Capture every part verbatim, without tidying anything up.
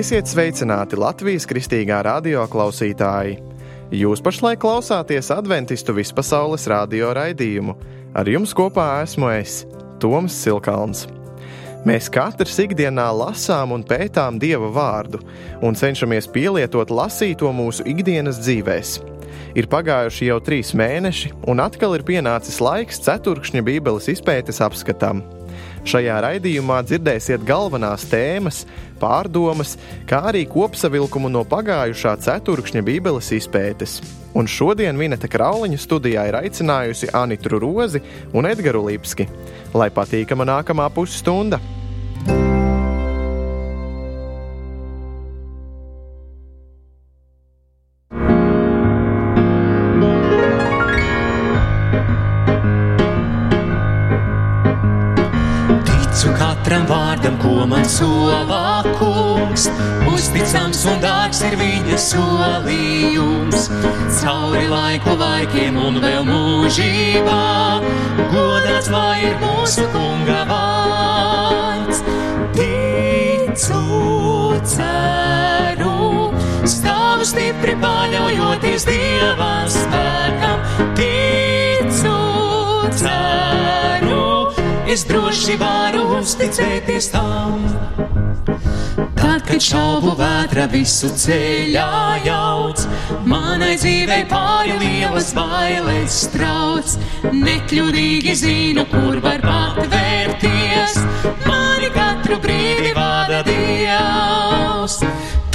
Esiet sveicināti Latvijas Kristīgā radio klausītāji! Jūs pašlaik klausāties Adventistu vispasaules radio raidījumu. Ar jums kopā esmu es, Toms Silkalns. Mēs katrs ikdienā lasām un pētām Dieva vārdu un cenšamies pielietot lasīto mūsu ikdienas dzīvēs. Ir pagājuši jau trīs mēneši, un atkal ir pienācis laiks ceturkšņa Bībeles izpētes apskatam. Šajā raidījumā dzirdēsiet galvenās tēmas, pārdomas, kā arī kopsavilkumu no pagājušā ceturkšņa Bībeles izpētes. Un šodien Vineta Krauliņa studijā ir aicinājusi Anitru Rozi un Edgaru Lipski. Lai patīkama nākamā pusstunda! Katram vārdam, ko man solā kungs, uzticams un dārgs ir viņa solījums. Cauri laiku laikiem un vēl mūžībā, godāts lai ir mūsu kunga vārds. Ticu, ceru, stāvu stipri paļaujoties Dieva spēkam. Ticu, ceru, es droši varu uzticēties tam. Tad, kad šaubu vētra visu ceļā jauc, manai dzīvei pāri lielas bailes trauc. Nekļūdīgi zinu, kur var patvērties, mani katru brīdi vada Dievs.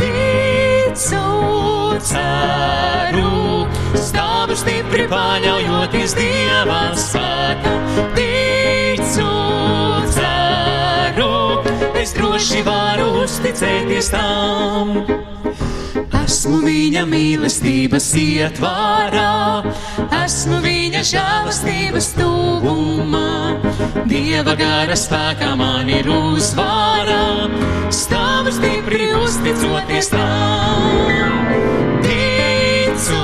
Ticu, ceru, stāvu stipri paļaujoties Dieva spēkam. Ticu, ceru, es droši varu uzticēties tam. Esmu viņa mīlestības ietvarā, esmu viņa žēlastības tuvumā. Dieva gara spēkā man ir uzvara, stāvu stipri uzticoties tam. Ticu,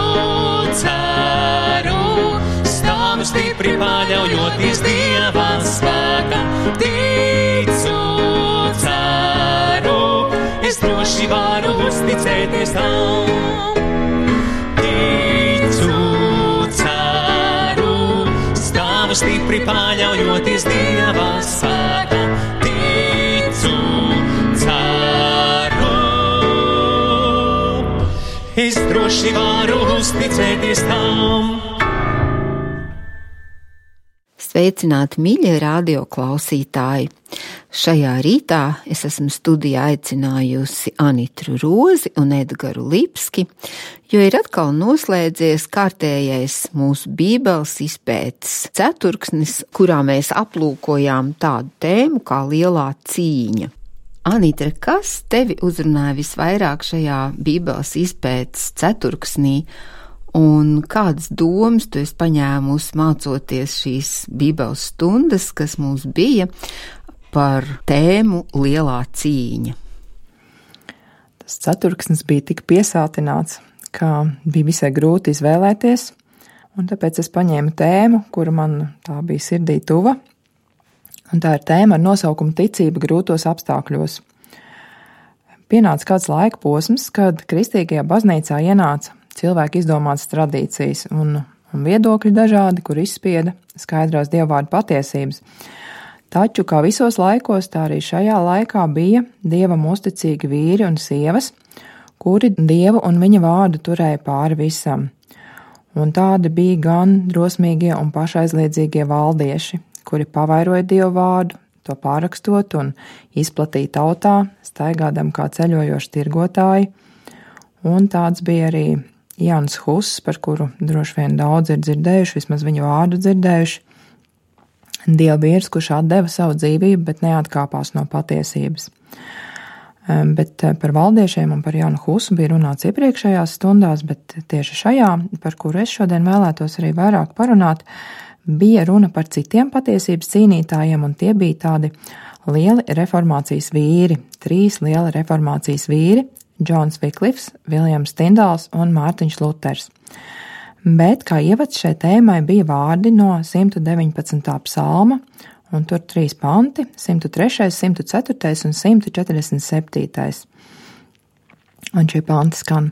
ceru, stāvu stipri paļaujoties Dieva spēkam. Ticu, ceru, es droši varu uzticēties tam. Ticu, ceru, stāvu stipri paļaujoties Dieva spēkam. Ticu, ceru, es droši varu uzticēties tam. Sveicināti, mīļie radio klausītāji! Šajā rītā es esmu studijā aicinājusi Anitru Rozi un Edgaru Lipski, jo ir atkal noslēdzies kārtējais mūsu Bībeles izpētes ceturksnis, kurā mēs aplūkojām tādu tēmu kā lielā cīņa. Anitra, kas tevi uzrunāja visvairāk šajā Bībeles izpētes ceturksnī? Un kādas domas tu esi paņēmusi mācoties šīs Bībeles stundas, kas mums bija par tēmu lielā cīņa? Tas ceturksnis bija tik piesātināts, ka bija visai grūti izvēlēties, un tāpēc es paņēmu tēmu, kura man tā bija sirdī tuva, un tā ir tēma ar nosaukumu Ticība grūtos apstākļos. Pienāca kāds laika posms, kad kristīgajā baznīcā ienāca cilvēki izdomātas tradīcijas un, un viedokļi dažādi, kur izspieda skaidrās dievvvārda patiesības. Taču, kā visos laikos, tā arī šajā laikā bija Dievam uzticīgi vīri un sievas, kuri Dievu un viņa vārdu turēja pāri visam. Un tādi bija gan drosmīgie un pašaizliedzīgie valdieši, kuri pavairoja Dievu vārdu, to pārrakstot un izplatīja tautā, staigādam kā ceļojoši tirgotāji. Un tāds bija arī Jānis Huss, par kuru droši vien daudz ir dzirdējuši, vismaz viņu vārdu dzirdējuši. Dievvīrs, kurš atdeva savu dzīvību, bet neatkāpās no patiesības. Bet par valdiešiem un par Jānu Hussu bija runāts iepriekšējās stundās, bet tieši šajā, par kuru es šodien vēlētos arī vairāk parunāt, bija runa par citiem patiesības cīnītājiem, un tie bija tādi lieli reformācijas vīri, trīs lieli reformācijas vīri, Džons Viklifs, Viljams Tindals un Mārtiņš Luters. Bet kā ievads šai tēmai bija vārdi no simt deviņpadsmitā psalma, un tur trīs panti, simt trešais, simt ceturtais un simt četrdesmit septītais. Un šie panti skan: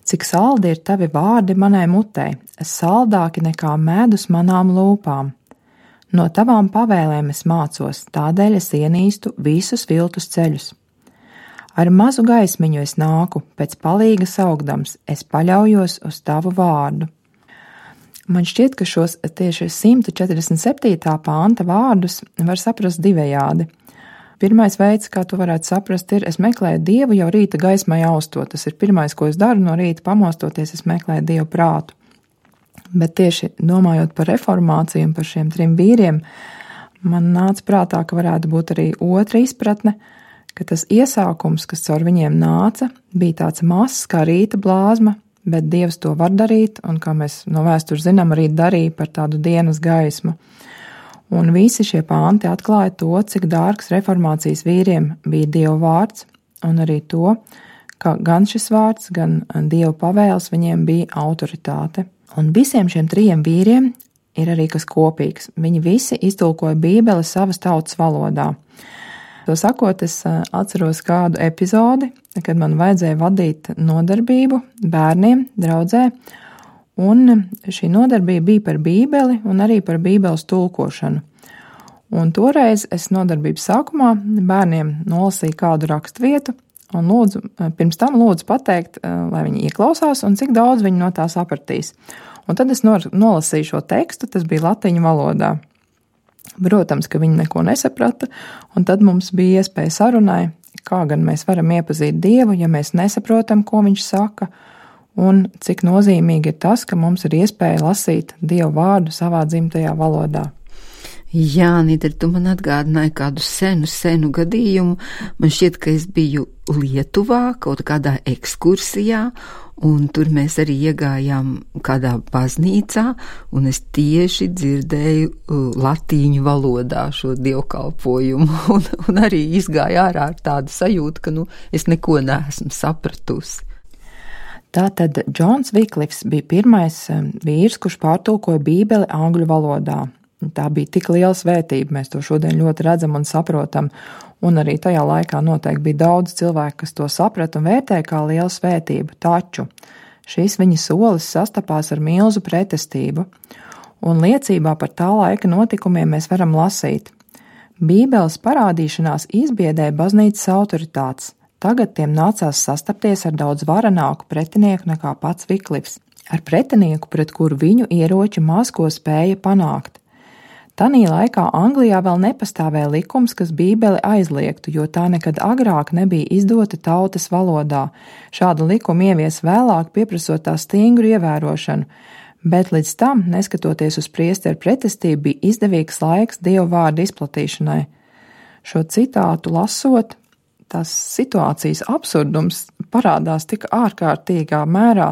cik saldi ir tavi vārdi manai mutei, saldāki nekā medus manām lūpām. No tavām pavēlēm es mācos, tādēļ es ienīstu visus viltus ceļus. Ar mazu gaismiņu es nāku, pēc palīga saugdams, es paļaujos uz tavu vārdu. Man šķiet, ka šos tieši simt četrdesmit septītā panta vārdus var saprast divējādi. Pirmais veids, kā tu varētu saprast, ir, es meklēju Dievu jau rīta gaismai austot. Tas ir pirmais, ko es daru no rīta pamostoties, es meklēju Dievu prātu. Bet tieši domājot par reformāciju un par šiem trim vīriem, man nāca prātā, ka varētu būt arī otra izpratne, ka tas iesākums, kas caur viņiem nāca, bija tāds mazs kā rīta blāzma, bet Dievs to var darīt, un kā mēs no vēstures zinām, arī darīja par tādu dienas gaismu. Un visi šie panti atklāja to, cik dārgs reformācijas vīriem bija Dieva vārds, un arī to, ka gan šis vārds, gan Dieva pavēles viņiem bija autoritāte. Un visiem šiem trijiem vīriem ir arī kas kopīgs. Viņi visi iztulkoja Bībeli savas tautas valodā. To sakot, es atceros kādu epizodi, kad man vajadzēja vadīt nodarbību bērniem draudzē, un šī nodarbība bija par Bībeli un arī par Bībeles tulkošanu. Un toreiz es nodarbības sākumā bērniem nolasīju kādu rakstvietu un lūdzu, pirms tam lūdzu pateikt, lai viņi ieklausās un cik daudz viņi no tā sapratīs. Un tad es nolasīju šo tekstu, tas bija latiņu valodā. Protams, ka viņi neko nesaprata, un tad mums bija iespēja sarunai, kā gan mēs varam iepazīt Dievu, ja mēs nesaprotam, ko viņš saka, un cik nozīmīgi ir tas, ka mums ir iespēja lasīt Dievu vārdu savā dzimtajā valodā. Jā, Nīder, tu man atgādināji kādu senu, senu gadījumu. Man šķiet, ka es biju Lietuvā kaut kādā ekskursijā, un tur mēs arī iegājām kādā baznīcā, un es tieši dzirdēju latīņu valodā šo dievkalpojumu, un, un arī izgāju ārā ar tādu sajūtu, ka nu, es neko neesmu sapratusi. Tātad Džons Viklifs bija pirmais vīrs, kurš pārtulkoja Bībeli angļu valodā. Tā bija tik liela svētība, mēs to šodien ļoti redzam un saprotam, un arī tajā laikā noteikti bija daudz cilvēku, kas to saprata un vērtēja kā lielu svētību, taču šīs viņa solis sastapās ar milzu pretestību, un liecībā par tā laika notikumiem mēs varam lasīt. Bībeles parādīšanās izbiedēja baznīcas autoritātes, tagad tiem nācās sastapties ar daudz varenāku pretinieku nekā pats Viklifs, ar pretinieku, pret kuru viņu ieroči maz ko spēja panākt. Tanī laikā Anglijā vēl nepastāvēja likums, kas Bībeli aizliegtu, jo tā nekad agrāk nebija izdota tautas valodā. Šādu likumu ievies vēlāk, pieprasot tā stingru ievērošanu, bet līdz tam, neskatoties uz priesteru pretestību, bija izdevīgs laiks Dieva vārdu izplatīšanai. Šo citātu lasot, tās situācijas absurdums parādās tik ārkārtīgā mērā,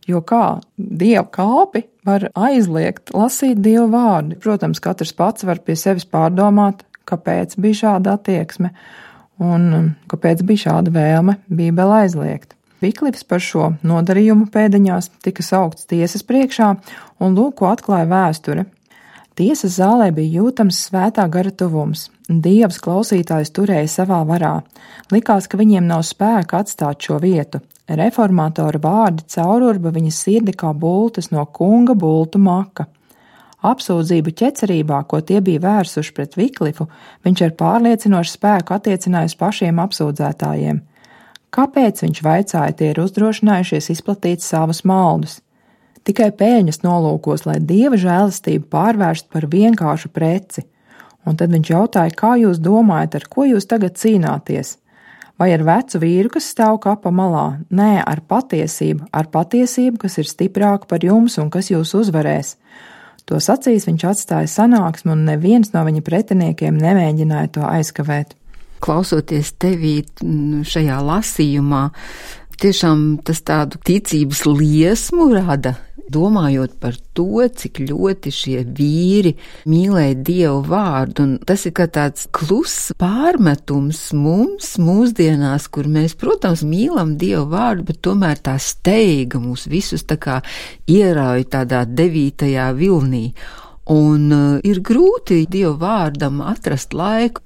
jo kā Dieva kalpi var aizliegt lasīt Dieva vārdu. Protams, katrs pats var pie sevis pārdomāt, kāpēc bija šāda attieksme un kāpēc bija šāda vēlme Bībeli aizliegt. Viklifs par šo nodarījumu pēdiņās tika saukts tiesas priekšā, un lūk, ko atklāja vēsture. Tiesas zālē bija jūtams svētā gara tuvums. Dievs klausītājus turēja savā varā. Likās, ka viņiem nav spēka atstāt šo vietu. Reformatora vārdi caururba viņa sirdi kā bultas no kunga bultu maka. Apsūdzību ķecerībā, ko tie bija vērsuši pret Viklifu, viņš ar pārliecinošu spēku attiecināja uz pašiem apsūdzētājiem. Kāpēc, viņš vaicāja, tie ir uzdrošinājušies izplatīt savus maldus? Tikai pēļņas nolūkos, lai Dieva žēlastību pārvērst par vienkāršu preci. Un tad viņš jautāja, kā jūs domājat, ar ko jūs tagad cīnāties? Vai ar vecu vīru, kas stāv kapa malā? Nē, ar patiesību, ar patiesību, kas ir stiprāka par jums un kas jūs uzvarēs. To sacīs viņš atstāja sanāksmi, un neviens no viņa pretiniekiem nemēģināja to aizkavēt. Klausoties tevī šajā lasījumā, tiešām tas tādu ticības liesmu rada, domājot par to, cik ļoti šie vīri mīlēja Dievu vārdu, un tas ir kā tāds kluss pārmetums mums mūsdienās, kur mēs, protams, mīlam Dievu vārdu, bet tomēr tā steiga mūs visus tā kā ierauj tādā devītajā vilnī, un uh, ir grūti Dievu vārdam atrast laiku.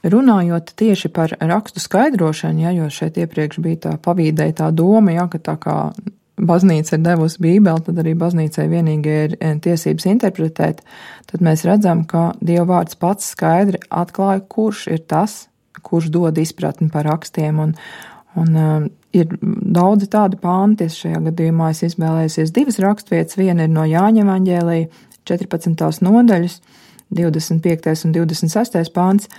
Runājot tieši par rakstu skaidrošanu, ja, jo šeit iepriekš bija tā pavīdēja tā doma, ja, ka tā kā baznīca ir devusi Bībeli, tad arī baznīcai vienīgi ir tiesības interpretēt, tad mēs redzam, ka Dieva vārds pats skaidri atklāja, kurš ir tas, kurš dod izpratni par rakstiem, un, un uh, ir daudzi tādi panti, šajā gadījumā es izvēlējusies divas rakstvietas, viena ir no Jāņa evaņģēlija, četrpadsmitās nodaļas, divdesmit piektais un divdesmit sestais pants.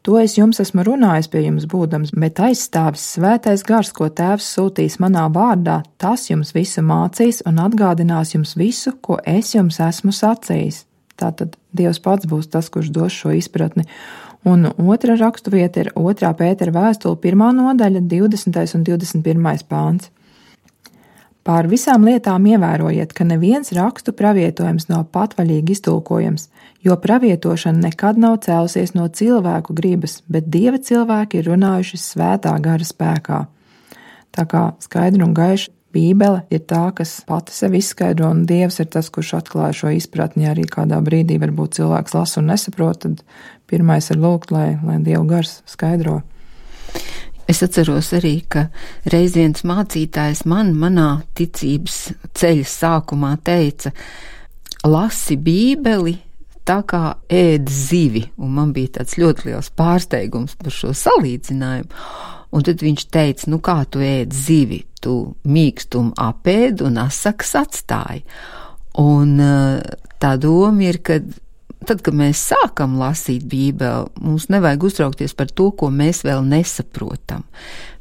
To es jums esmu runājis pie jums būdams, bet aizstāvis svētais gars, ko tēvs sūtīs manā vārdā, tas jums visu mācīs un atgādinās jums visu, ko es jums esmu sacījis. Tātad Dievs pats būs tas, kurš dos šo izpratni. Un otra rakstu vieta ir otrā Pētera vēstule, pirmā nodaļa, divdesmitais un divdesmit pirmais pāns. Pār visām lietām ievērojiet, ka neviens rakstu pravietojums nav patvaļīgi iztulkojams, jo pravietošana nekad nav cēlusies no cilvēku gribas, bet Dieva cilvēki ir runājuši svētā gara spēkā. Tā kā skaidri un gaiši Bībele ir tā, kas pati sevi izskaidro, un Dievs ir tas, kurš atklāja šo izpratni. Ja arī kādā brīdī varbūt cilvēks lasa un nesaprot, tad pirmais ir lūgt, lai, lai Dieva gars skaidro. Es atceros arī, ka reiz viens mācītājs man manā ticības ceļa sākumā teica, lasi Bībeli tā kā ēd zivi, un man bija tāds ļoti liels pārsteigums par šo salīdzinājumu. Un tad viņš teica, nu kā tu ēd zivi, tu mīkstumu apēd un asakas atstāji. Un tā doma ir, ka tad, kad mēs sākam lasīt Bībeli, mums nevajag uztraukties par to, ko mēs vēl nesaprotam,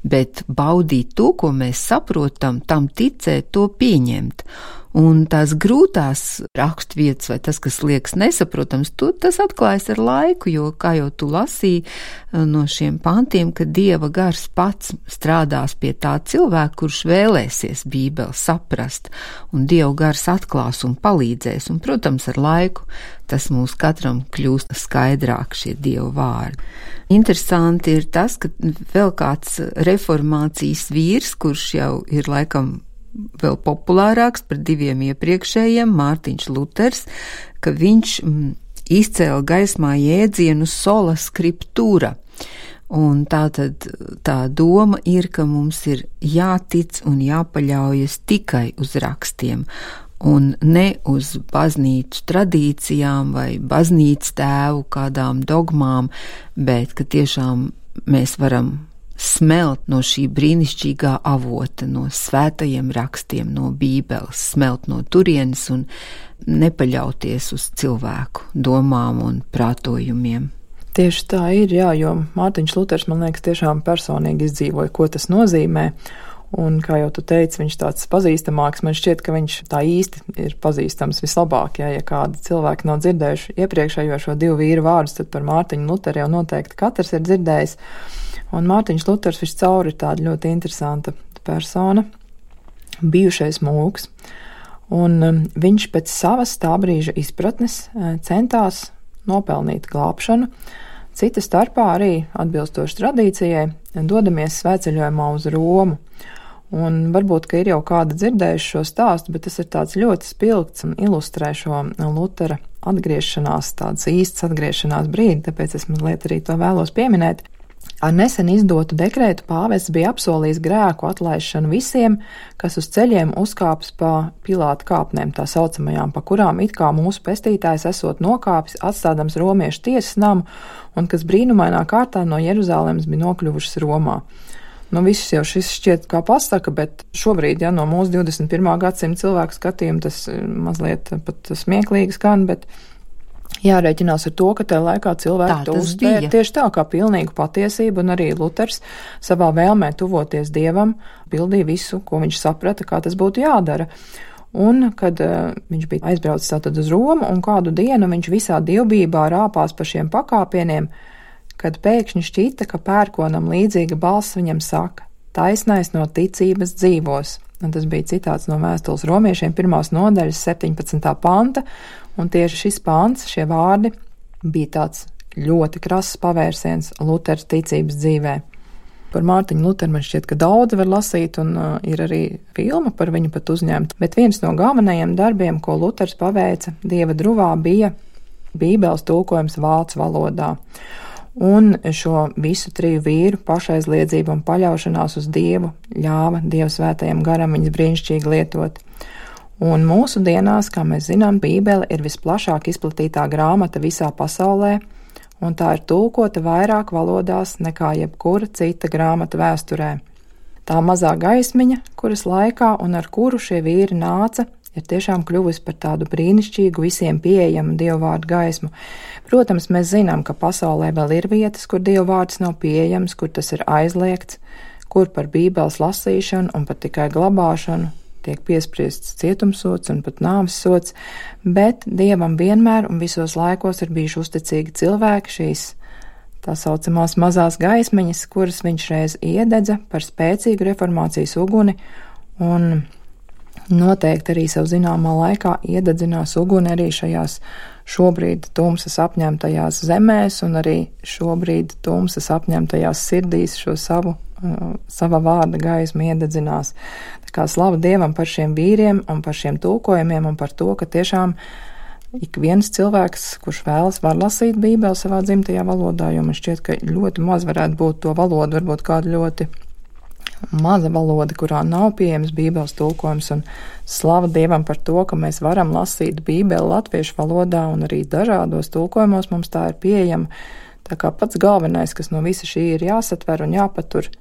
bet baudīt to, ko mēs saprotam, tam ticēt, to pieņemt. Un tās grūtās rakstvietas vai tas, kas liekas nesaprotams, to, tas atklājas ar laiku, jo, kā jau tu lasīji no šiem pantiem, ka Dieva gars pats strādās pie tā cilvēka, kurš vēlēsies Bībeli saprast, un Dieva gars atklās un palīdzēs, un, protams, ar laiku tas mūs katram kļūst skaidrāk šie Dieva vārdi. Interesanti ir tas, ka vēl kāds reformācijas vīrs, kurš jau ir laikam vēl populārāks par diviem iepriekšējiem, Mārtiņš Luters, ka viņš mm, izcēla gaismā jēdzienu sola scriptura. Un tātad tā doma ir, ka mums ir jātic un jāpaļaujas tikai uz rakstiem, un ne uz baznīcu tradīcijām vai baznīcas tēvu kādām dogmām, bet ka tiešām mēs varam smelt no šī brīnišķīgā avota, no svētajiem rakstiem, no Bībeles, smelt no turienes un nepaļauties uz cilvēku domām un prātojumiem. Tieši tā ir, jā, jo Mārtiņš Luters, man liekas, tiešām personīgi izdzīvoja, ko tas nozīmē. Un, kā jau tu teici, viņš tāds pazīstamāks, man šķiet, ka viņš tā īsti ir pazīstams vislabāk, ja, ja kādi cilvēki nav dzirdējuši iepriekšējo šo divu vīru vārdus, tad par Mārtiņu Luteru jau noteikti katrs ir dzirdējis. Un Mārtiņš Luters viscaur ir tāda ļoti interesanta persona, bijušais mūks, un viņš pēc savas tā brīža izpratnes centās nopelnīt glābšanu. Cita starpā arī, atbilstoši tradīcijai, dodamies svētceļojumā uz Romu. Un varbūt, ka ir jau kāda dzirdējuši šo stāstu, bet tas ir tāds ļoti spilgts un ilustrē šo Lutera atgriešanās, tāds īsts atgriešanās brīdi, tāpēc es mazliet arī to vēlos pieminēt. Ar nesen izdotu dekrētu pāvests bija apsolījis grēku atlaišanu visiem, kas uz ceļiem uzkāpis pa Pilāta kāpnēm, tā saucamajām, pa kurām it kā mūsu pestītājs esot nokāpis, atstādams romiešu tiesas namu, un kas brīnumainā kārtā no Jeruzalemes bija nokļuvušas Romā. Nu, viss jau šis šķiet kā pasaka, bet šobrīd, ja no mūsu divdesmit pirmā gadsimta cilvēku skatījuma, tas mazliet pat smieklīgi skan, bet jārēķinās ar to, ka tajā laikā cilvēki to uztvēra tieši tā kā pilnīgu patiesību, un arī Luters savā vēlmē tuvoties Dievam pildīja visu, ko viņš saprata, kā tas būtu jādara. Un, kad uh, viņš bija aizbraucis tātad uz Romu, un kādu dienu viņš visā dievbijībā rāpās pa šiem pakāpieniem, kad pēkšņi šķita, ka pērkonam līdzīga balss viņam saka: taisnais no ticības dzīvos. Un tas bija citāts no vēstules romiešiem pirmās nodaļas septiņpadsmitā panta, un tieši šis pants, šie vārdi, bija tāds ļoti krass pavērsiens Lutera ticības dzīvē. Par Mārtiņu Luteru man šķiet, ka daudzi var lasīt, un uh, ir arī filma par viņu pat uzņemta, bet viens no galvenajiem darbiem, ko Luters paveica Dieva druvā, bija Bībeles tulkojums vācu valodā. Un šo visu triju vīru pašaizliedzību un paļaušanās uz Dievu ļāva Dieva svētajam garam viņas brīnišķīgi lietot. Un mūsu dienās, kā mēs zinām, Bībele ir visplašāk izplatītā grāmata visā pasaulē, un tā ir tulkota vairāk valodās nekā jebkura cita grāmata vēsturē. Tā mazā gaismiņa, kuras laikā un ar kuru šie vīri nāca, ir tiešām kļuvusi par tādu brīnišķīgu, visiem pieejamu Dieva vārdu gaismu. Protams, mēs zinām, ka pasaulē vēl ir vietas, kur Dieva vārds nav pieejams, kur tas ir aizliegts, kur par Bībeles lasīšanu un pat tikai glabāšanu tiek piespriests cietumsods un pat nāves sods, bet Dievam vienmēr un visos laikos ir bijuši uzticīgi cilvēki, šīs tā saucamās mazās gaismiņas, kuras viņš reiz iededza par spēcīgu reformācijas uguni, un noteikti arī savu zināmā laikā iededzinās uguni arī šajās šobrīd tumsas apņemtajās zemēs un arī šobrīd tumsas apņemtajās sirdīs šo savu, uh, sava vārda gaismu iededzinās. Tā kā slava Dievam par šiem vīriem un par šiem tulkojumiem un par to, ka tiešām ik viens cilvēks, kurš vēlas, var lasīt Bībeli savā dzimtajā valodā, jo man šķiet, ka ļoti maz varētu būt to valodu, varbūt kādu ļoti maza valoda, kurā nav pieejams Bībeles tulkojums, un slava Dievam par to, ka mēs varam lasīt Bībeli latviešu valodā, un arī dažādos tulkojumos mums tā ir pieejama. Tā kā pats galvenais, kas no visa šī ir jāsatver un jāpatur,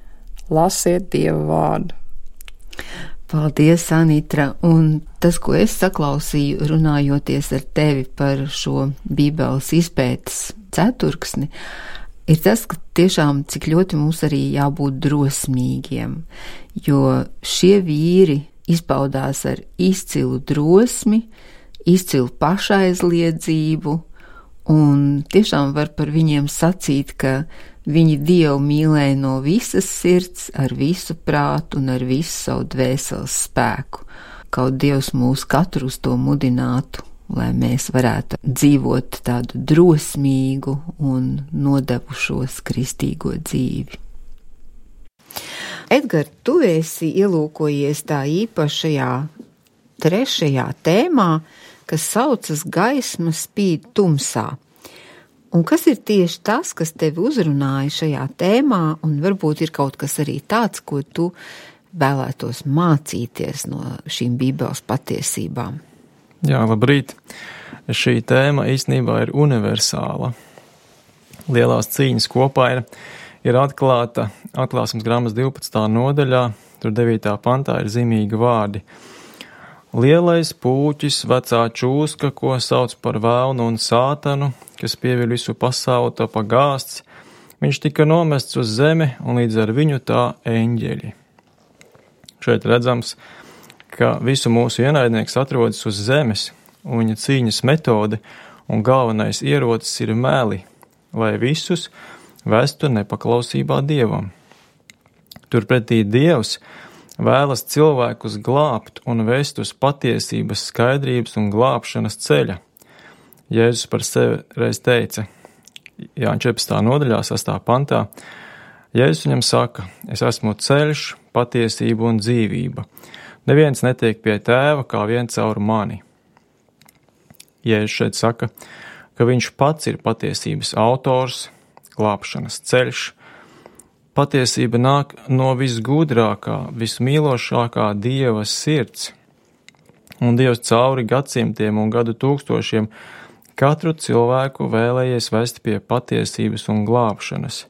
lasiet Dieva vārdu. Paldies, Anitra, un tas, ko es saklausīju, runājoties ar tevi par šo Bībeles izpētes ceturksni, ir tas, ka tiešām cik ļoti mums arī jābūt drosmīgiem, jo šie vīri izpaudās ar izcilu drosmi, izcilu pašaizliedzību, un tiešām var par viņiem sacīt, ka viņi Dievu mīlēja no visas sirds, ar visu prātu un ar visu savu dvēseles spēku. Kaut Dievs mūs katru uz to mudinātu, lai mēs varētu dzīvot tādu drosmīgu un nodevušos kristīgo dzīvi. Edgar, tu esi ielūkojies tā īpašajā trešajā tēmā, kas saucas gaisma spīd tumsā. Un kas ir tieši tas, kas tevi uzrunāja šajā tēmā, un varbūt ir kaut kas arī tāds, ko tu vēlētos mācīties no šīm Bībeles patiesībām? Jā, labrīt. Šī tēma īstenībā ir universāla. Lielās cīņas kopā ir, ir atklāta atklāsmes grāmatas divpadsmitā nodaļā, tur devītā pantā ir zīmīgi vārdi. Lielais pūķis, vecā čūska, ko sauc par velnu un sātanu, kas pieviļ visu pasauli, to pagāsts, viņš tika nomests uz zemi un līdz ar viņu tā eņģeļi. Šeit redzams, ka visu mūsu ienaidnieks atrodas uz zemes, un viņa cīņas metode un galvenais ierocis ir meli, lai visus vestu nepaklausībā Dievam. Turpretī Dievs vēlas cilvēkus glābt un vest uz patiesības, skaidrības un glābšanas ceļa. Jēzus par sevi reiz teica, Jāņa četrpadsmitā nodaļā, sastā pantā, Jēzus viņam saka, es esmu ceļš, patiesība un dzīvība. Neviens netiek pie tēva, kā vien caur mani. Jēzus šeit saka, ka viņš pats ir patiesības autors, glābšanas ceļš. Patiesība nāk no visgudrākā, vismīlošākā Dieva sirds. Un Dievs cauri gadsimtiem un gadu tūkstošiem katru cilvēku vēlējies vest pie patiesības un glābšanas.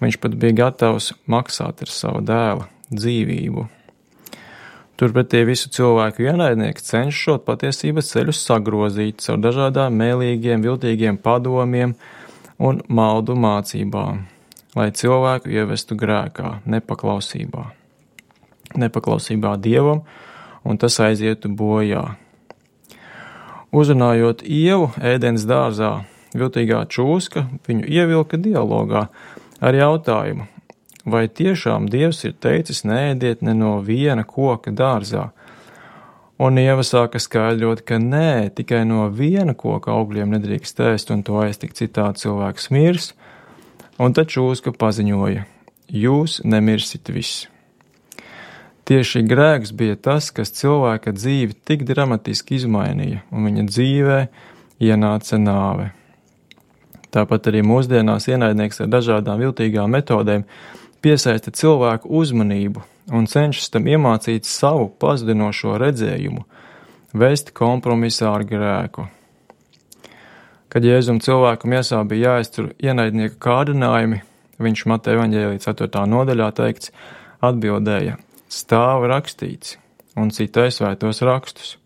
Viņš pat bija gatavs maksāt ar savu dēla dzīvību. Turpretī visu cilvēku ienaidnieks cenšas šo patiesības ceļu sagrozīt caur dažādām mēlīgiem, viltīgiem padomiem un maldu mācībām, lai cilvēku ievestu grēkā, nepaklausībā. Nepaklausībā Dievam, un tas aizietu bojā. Uzrunājot Ievu ēdens dārzā, viltīgā čūska viņu ievilka dialogā ar jautājumu, vai tiešām Dievs ir teicis neēdiet ne no viena koka dārzā? Un Ieva sāka skaidrot, ka nē, tikai no viena koka augļiem nedrīkst ēst, un to ēst tik citādi cilvēks mirs. Un tad čūska paziņoja, jūs nemirsit visi. Tieši grēks bija tas, kas cilvēka dzīvi tik dramatiski izmainīja, un viņa dzīvē ienāca nāve. Tāpat arī mūsdienās ienaidnieks ar dažādām viltīgām metodēm piesaista cilvēku uzmanību un cenšas tam iemācīt savu pazudinošo redzējumu, vest kompromisā ar grēku. Kad Jēzum cilvēku miesā bija jāiztur ienaidnieka kārdinājumi, viņš Mateja evaņģēlija ceturtā nodaļā teikts, atbildēja, stāv rakstīts un citai svētos rakstus.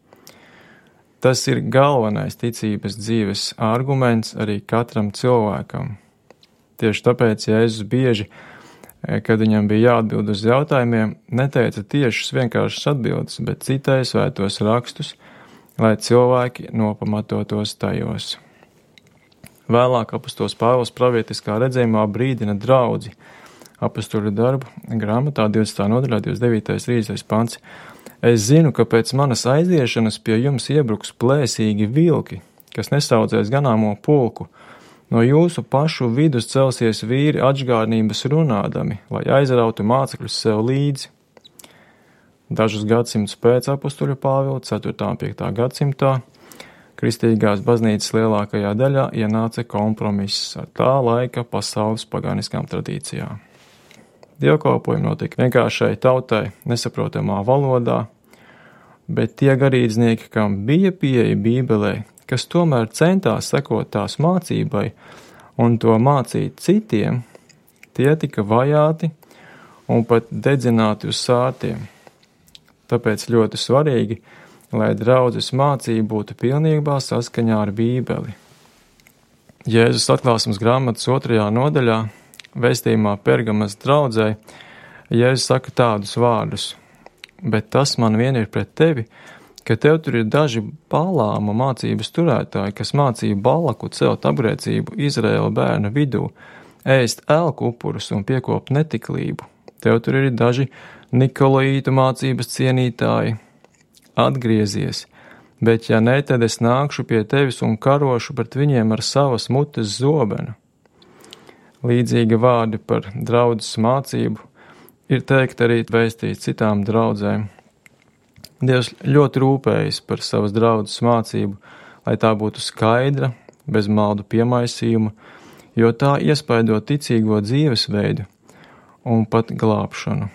Tas ir galvenais ticības dzīves arguments arī katram cilvēkam. Tieši tāpēc Jēzus bieži, kad viņam bija jāatbild uz jautājumiem, neteica tiešas vienkāršas atbildes, bet citai svētos rakstus, lai cilvēki nopamatotos tajos. Vēlāk apostols Pāvils pravietiskā redzējumā brīdina draudzi. Apostoļu darbu grāmatā divdesmitā nodaļā divdesmit devītais trīsdesmitais pants. Es zinu, ka pēc manas aiziešanas pie jums iebruks plēsīgi vilki, kas nesaudzēs ganāmo pulku. No jūsu pašu vidus celsies vīri atžgārnības runādami, lai aizrautu mācekļus sev līdzi. Dažus gadsimtus pēc apostoļa Pāvila, ceturtā un piektā gadsimtā, kristīgās baznīcas lielākajā daļā ienāca kompromiss ar tā laika pasaules paganiskām tradīcijām. Dievkalpojumi notika vienkāršai tautai nesaprotamā valodā, bet tie garīdznieki, kam bija pieeja Bībelē, kas tomēr centās sekot tās mācībai un to mācīt citiem, tie tika vajāti un pat dedzināti uz sārtiem. Tāpēc ļoti svarīgi, lai draudzes mācība būtu pilnībā saskaņā ar Bībeli. Jēzus atklāsmes grāmatas otrajā nodaļā vēstījumā Pergamas draudzē, Jēzus saka tādus vārdus, bet tas man vien ir pret tevi, ka tev tur ir daži Balāma mācības turētāji, kas mācīja Balaku celt apgrēcību Izraēla bērnu vidū, ēst elku upurus un piekopt netiklību. Tev tur ir daži Nikolaītu mācības cienītāji. Atgriezies, bet ja ne, tad es nākšu pie tevis un karošu pret viņiem ar savas mutes zobenu. Līdzīgi vārdi par draudzes mācību ir teikt arī vēstīt citām draudzēm. Dievs ļoti rūpējas par savas draudzes mācību, lai tā būtu skaidra, bez maldu piemaisījuma, jo tā iespaido ticīgo dzīvesveidu un pat glābšanu.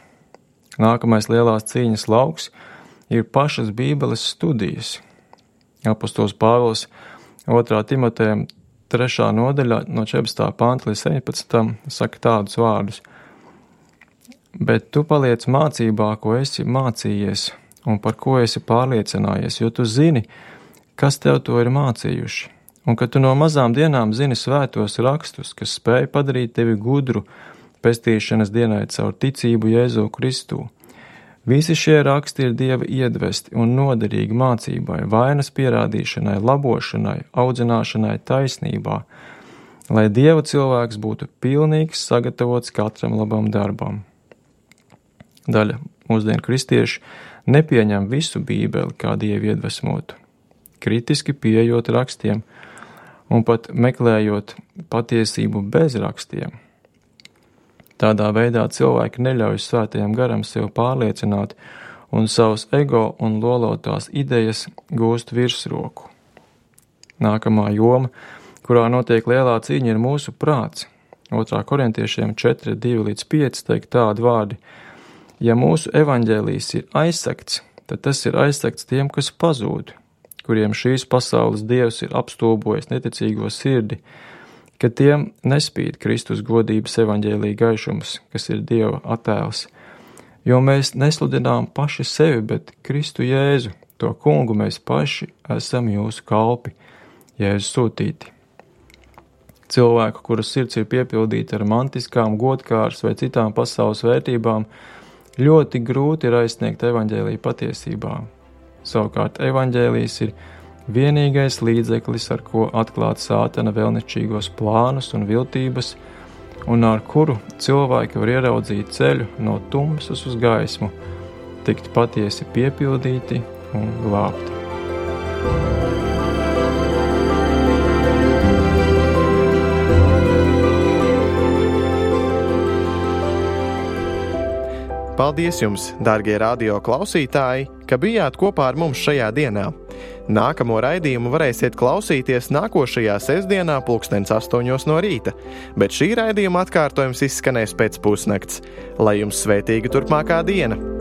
Nākamais lielās cīņas lauks ir pašas Bībeles studijas. Apostols Pāvils otrā Timotejam trešā nodaļā no četrpadsmitā panta līdz septiņpadsmitam saka tādus vārdus. Bet tu paliec mācībā, ko esi mācījies un par ko esi pārliecinājies, jo tu zini, kas tev to ir mācījuši, un ka tu no mazām dienām zini svētos rakstus, kas spēj padarīt tevi gudru pestīšanas dienai caur ticību Jēzu Kristū. Visi šie raksti ir Dieva iedvesti un noderīgi mācībai, vainas pierādīšanai, labošanai, audzināšanai taisnībā, lai Dieva cilvēks būtu pilnīgs, sagatavots katram labam darbam. Daļa mūsdienu kristieši nepieņem visu Bībeli kā Dieva iedvesmotu, kritiski pieejot rakstiem un pat meklējot patiesību bez rakstiem. Tādā veidā cilvēki neļauj svētajam garam sev pārliecināt un savus ego un lolotās idejas gūst virsroku. Nākamā joma, kurā notiek lielā cīņa, ir mūsu prāts. otrā korintiešiem četri, divi līdz pieci teikt tādi vārdi. Ja mūsu evaņģēlijs ir aizsegts, tad tas ir aizsegts tiem, kas pazūd, kuriem šīs pasaules dievs ir apstulbojis neticīgo sirdi, ka tiem nespīd Kristus godības evaņģēlija gaišums, kas ir Dieva attēls, jo mēs nesludinām paši sevi, bet Kristu Jēzu, to kungu mēs paši esam jūsu kalpi, Jēzu sūtīti. Cilvēku, kuras sirds ir piepildīta ar mantiskām, godkāras vai citām pasaules vērtībām, ļoti grūti ir aizsniegt evaņģēlija patiesībā. Savukārt evaņģēlijs ir vienīgais līdzeklis, ar ko atklāt sātana vēlnišķīgos plānus un viltības, un ar kuru cilvēki var ieraudzīt ceļu no tumsas uz gaismu, tikt patiesi piepildīti un glābti. Paldies jums, dārgie radio klausītāji! ka bijāt kopā ar mums šajā dienā. Nākamo raidījumu varēsiet klausīties nākošajā sestdienā pulkstens astoņos no rīta, bet šī raidījuma atkārtojums izskanēs pēc pusnakts. Lai jums svētīga turpmākā diena!